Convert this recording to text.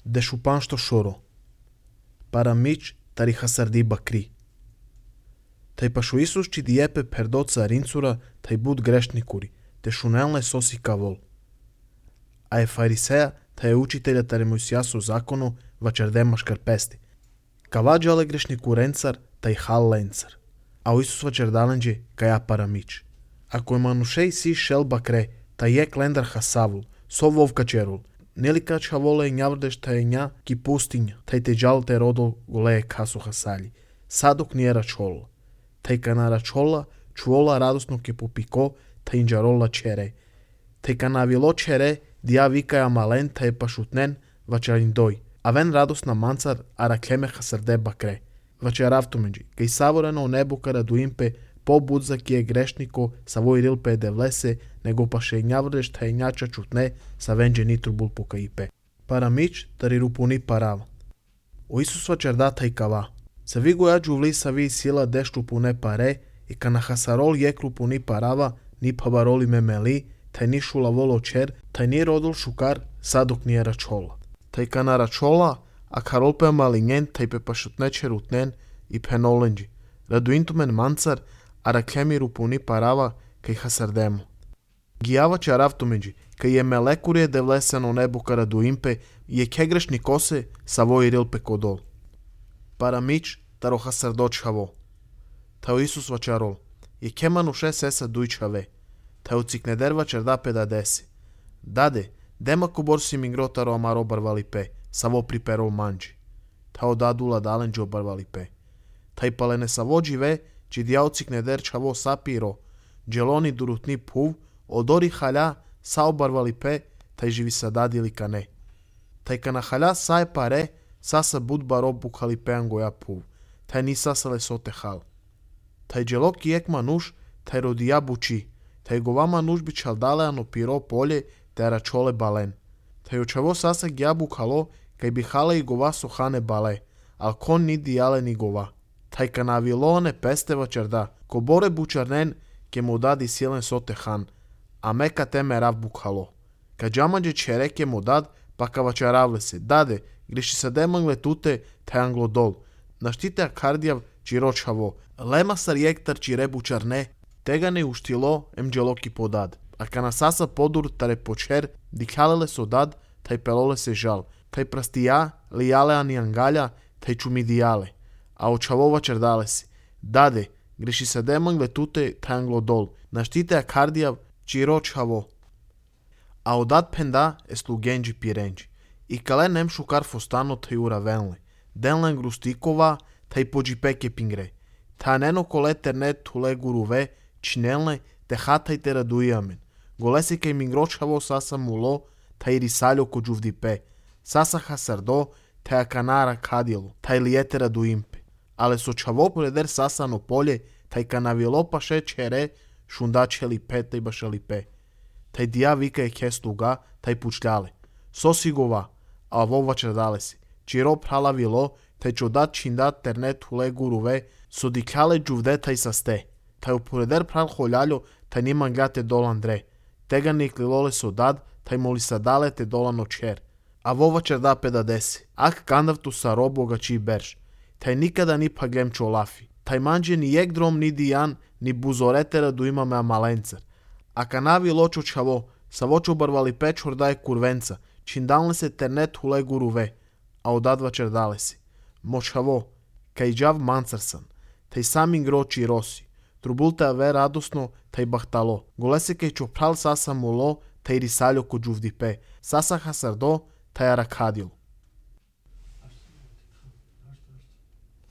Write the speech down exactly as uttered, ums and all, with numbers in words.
де шупан што шоро. Парамич тари хасарди бакри. Тај пашо Исус чи диепе пердо царинцура, тај буд грешникури, те шунелне соси кавол. А е фарисеја, тај е учителја таре Мојсијасов закону, вачердема шкарпести. Каваджале грешникуренцар, тај халленцар. А о Исус вачердаленџе, каја парамич. Ако е манушеј си шел бакре, тај е клендар хасавул, со вовка черул. Нели кача воле њаврдеш тај ња ки пустиња, тај те джал те родол голее касу хасали. Садок не рачола. Тај кана рачола, чуола радосно ке попико, тај инџарола чере. Тај кана вило чере, дија викаја мален, тај пашутнен, вачарин дој. Авен радосна манцар, араклеме хасарде бакре. Вачеравтуменџи, кај саворено небука радуимпе, по-будза ки е грешнико, са вој рилпе де влесе, него паше њаврдеш тај њача чутне, са венџе нитрубул покаипе. Парамич тари рупуни парава. О Исус вачерда тај кава. Са ви го јаđu вли са ви сила деш рупуне паре, и кана хасарол јек рупуни парава, ни павароли мемели, тај ни шула воло чер, тај ни родол шукар, садок ни е рачола. Тај кана рачола, а каролпе малињен, тај пе пашутне черутнен и пеноленџи. Радуинтумен манцар, араклеми рупуни парава, кај хасардемо. Гијава чаравтуменџи, кај е мелекурие де влесено небука радуимпе, и е кегрешни косе, са вој рилпе кодол. Парамич таро хасардочхаво. Тао Исус вачарол, и кемануше сеса дујчаве. Тао цикнедер вачерда педадеси. Даде, дема кубор си мингро таро амаро барвалипе, саво приперол манџи. Тао дадула даленџи обарвалипе. Тај палене саво дживе, чи дијао цикнедер чаво сапиро, джелони дурутни пув, одори хаља, са обарвалипе, тај живи са дадили кане. Тај кана хаља са е паре, саса буд баро букалипеан гоја пув, тај ни сасале соте хал. Тај джело киек мануш, тај родија бучи, тај гова мануш би чалдалеано пиро поле, тај рачоле бален. Тај очаво саса гија букало, кај би хале и гова сохане бале, ал кон ни дијале ни гова. Тај кана вилоане песте вачерда, ко боре бучарнен, ке му дади силен соте хан, а мека теме рав букало. Ка джамаđe чере ке му дад, пака вачаравле се, даде, греши се демангле туте, тај англодол. Наштите акардијав чирочаво, лема сар јектар чире бучарне, тега не уштило, ем джелоки подад. А кана саса подур таре почер, дикалеле со дад, тај пелоле се жал, тај прастија, лијале ани ангалја, тај чумидијале. А очаво вачердале се, даде, греши се демангле туте, тај англодол. Наштите акардијав чирочаво. А одат пенда е слугенџи пиренџи. И кале нем шукар фостано тај уравенле. Денлен грустикова, тај поџипеке пингре. Та нено коле тернет туле гуруве, чинелне, те хатај те радујамен. Голеси кај мингрочаво саса муло, тај рисалјо ко джувдипе. Саса хасардо, тај аканара кадило, тај лиете радуимпе. Але со чаво предер сасано поле, тај канавило паше чере, шундачели пе, тај башали пе. Тај дија вика е кеслуга, тај пучљале. Соси гова, а во вачердале се. Чиро прала вило, тај чодат чиндат тернет туле гуруве, со дикале джувде тај састе. Тај упоредер прал холјаљо, тај нима гляте долан дре. Тега никлилоле со дад, тај моли садале те долано чер. А во вачерда педадеси. Ак кандавту са робога чи берш. Тај никада ни паглем чолафи. Тај манџе ни јек дром ни дијан, ни бузоретера ду имаме амаленцар. А канави лочо чаво, са вочо барвали печор дај курвенца, чиндалне се тернет хуле гуруве, а одад вачердале се. Мочаво, кај джав манцарсан, тај самин грочи роси, трубулте аве радосно, тај бахтало, голесе кај чопрал саса моло, тај рисалјо ко джувдипе, саса хасардо, тај аракадил.